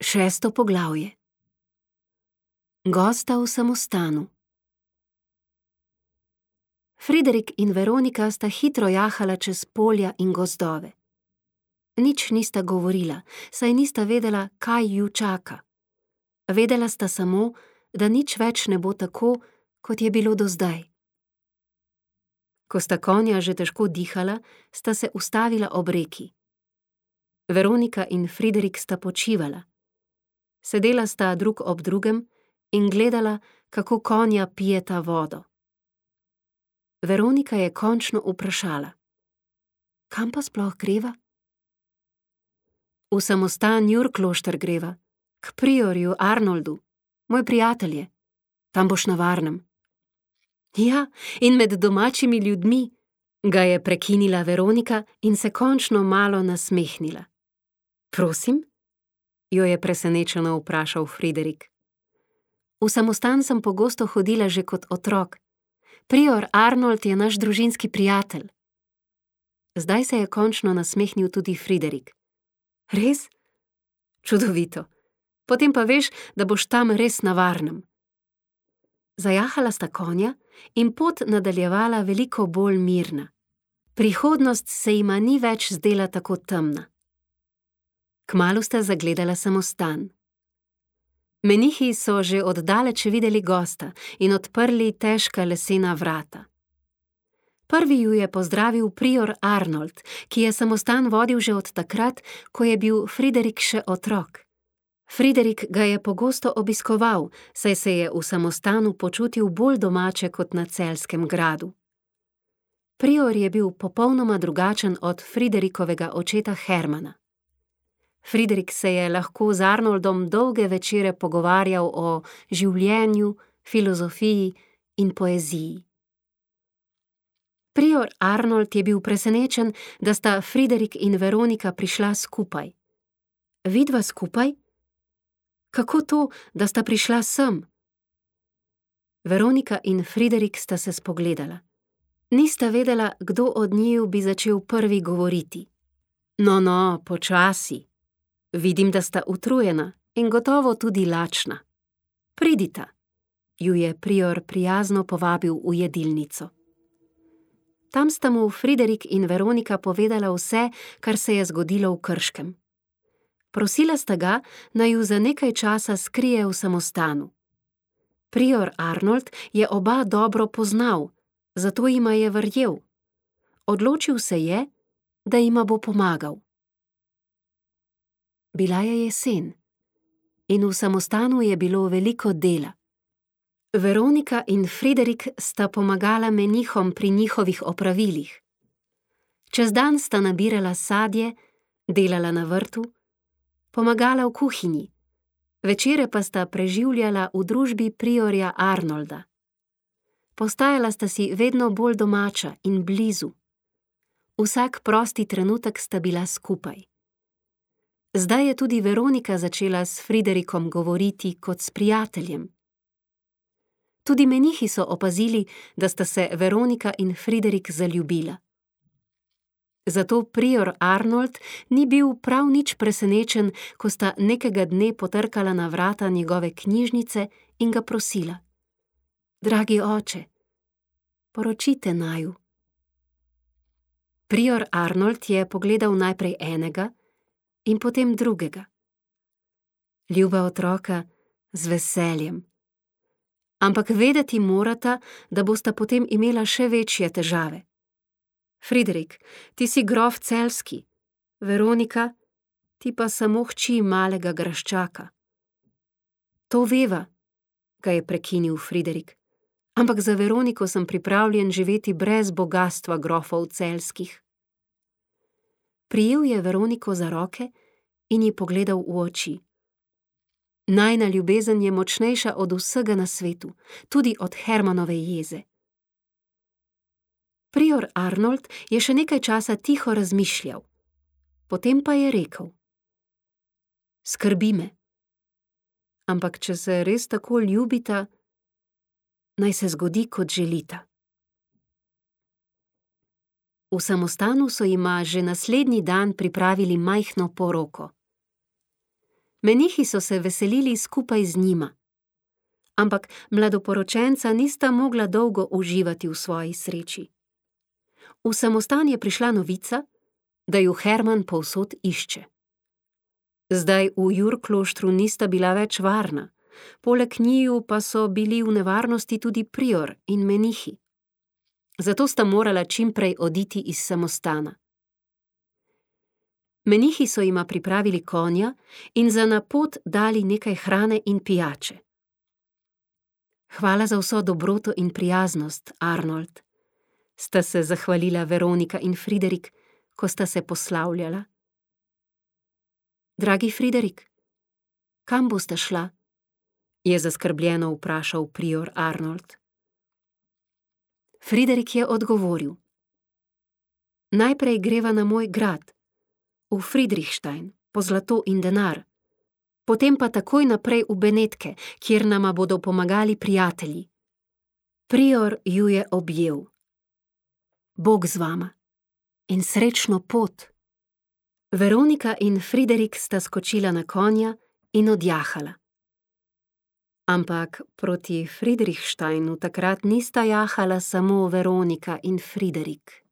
Šesto poglavje. Gosta v samostanu. Friderik in Veronika sta hitro jahala čez polja in gozdove. Nič nista govorila, saj nista vedela, kaj ju čaka. Vedela sta samo, da nič več ne bo tako, kot je bilo do zdaj. Ko sta konja že težko dihala, sta se ustavila ob reki. Veronika in Friderik sta počivala. Sedela sta drug ob drugem in gledala, kako konja pijeta vodo. Veronika je končno vprašala: Kam pa sploh greva? V samostan Jurklošter greva, k priorju Arnoldu, moj prijatelj je. Tam boš na varnem. Ja, in med domačimi ljudmi, ga je prekinila Veronika in se končno malo nasmehnila. Prosim? Jo je presenečeno vprašal Friderik. V samostan sem pogosto hodila že kot otrok. Prior Arnold je naš družinski prijatelj. Zdaj se je končno nasmehnil tudi Friderik. Res? Čudovito. Potem pa veš, da boš tam res na varnem. Zajahala sta konja in pot nadaljevala veliko bolj mirna. Prihodnost se jima ni več zdela tako temna. Kmalu sta zagledala samostan. Menihi so že oddaleč videli gosta in odprli težka lesena vrata. Prvi ju je pozdravil prior Arnold, ki je samostan vodil že od takrat, ko je bil Friderik še otrok. Friderik ga je pogosto obiskoval, saj se je v samostanu počutil bolj domače kot na Celjskem gradu. Prior je bil popolnoma drugačen od Friderikovega očeta Hermana. Friderik se je lahko z Arnoldom dolge večere pogovarjal o življenju, filozofiji in poeziji. Prior Arnold je bil presenečen, da sta Friderik in Veronika prišla skupaj. Vidva skupaj? Kako to, da sta prišla sem? Veronika in Friderik sta se spogledala. Nista vedela, kdo od njiju bi začel prvi govoriti. No, počasi. Vidim, da sta utrujena in gotovo tudi lačna. Pridita, ju je prior prijazno povabil v jedilnico. Tam sta mu Friderik in Veronika povedala vse, kar se je zgodilo v Krškem. Prosila sta ga, naj ju za nekaj časa skrije v samostanu. Prior Arnold je oba dobro poznal, zato jima je verjel. Odločil se je, da jima bo pomagal. Bila je jesen in v samostanu je bilo veliko dela. Veronika in Friderik sta pomagala menihom pri njihovih opravilih. Čez dan sta nabirala sadje, delala na vrtu, pomagala v kuhinji, večere pa sta preživljala v družbi priorja Arnolda. Postajala sta si vedno bolj domača in blizu. Vsak prosti trenutek sta bila skupaj. Zdaj je tudi Veronika začela s Friderikom govoriti kot s prijateljem. Tudi menihi so opazili, da sta se Veronika in Friderik zaljubila. Zato prior Arnold ni bil prav nič presenečen, ko sta nekega dne potrkala na vrata njegove knjižnice in ga prosila: Dragi oče, poročite naju. Prior Arnold je pogledal najprej enega in potem drugega. Ljuba otroka, z veseljem. Ampak vedeti morata, da bosta potem imela še večje težave. Friderik, ti si grof Celjski, Veronika, ti pa samo hči malega graščaka. To veva, ga je prekinil Friderik, ampak za Veroniko sem pripravljen živeti brez bogastva grofov Celjskih. Prijel je Veroniko za roke in ji pogledal v oči. Najina ljubezen je močnejša od vsega na svetu, tudi od Hermanove jeze. Prior Arnold je še nekaj časa tiho razmišljal. Potem pa je rekel: Skrbi me. Ampak če se res tako ljubita, naj se zgodi, kot želita. V samostanu so jima že naslednji dan pripravili majhno poroko. Menihi so se veselili skupaj z njima. Ampak mladoporočenca nista mogla dolgo uživati v svoji sreči. V samostan je prišla novica, da ju Herman povsod išče. Zdaj v Jurkloštru nista bila več varna, poleg njiju pa so bili v nevarnosti tudi prior in menihi. Zato sta morala čimprej oditi iz samostana. Menihi so jima pripravili konja in za na pot dali nekaj hrane in pijače. Hvala za vso dobroto in prijaznost, Arnold, sta se zahvalila Veronika in Friderik, ko sta se poslavljala. Dragi Friderik, kam boste šla? Je zaskrbljeno vprašal prior Arnold. Friderik je odgovoril. Najprej greva na moj grad, v Friedrichstein, po zlato in denar, potem pa takoj naprej v Benetke, kjer nama bodo pomagali prijatelji. Prior ju je objel. Bog z vama in srečno pot. Veronika in Friderik sta skočila na konja in odjahala. Ampak proti Friedrichsteinu takrat nista jahala samo Veronika in Friderik.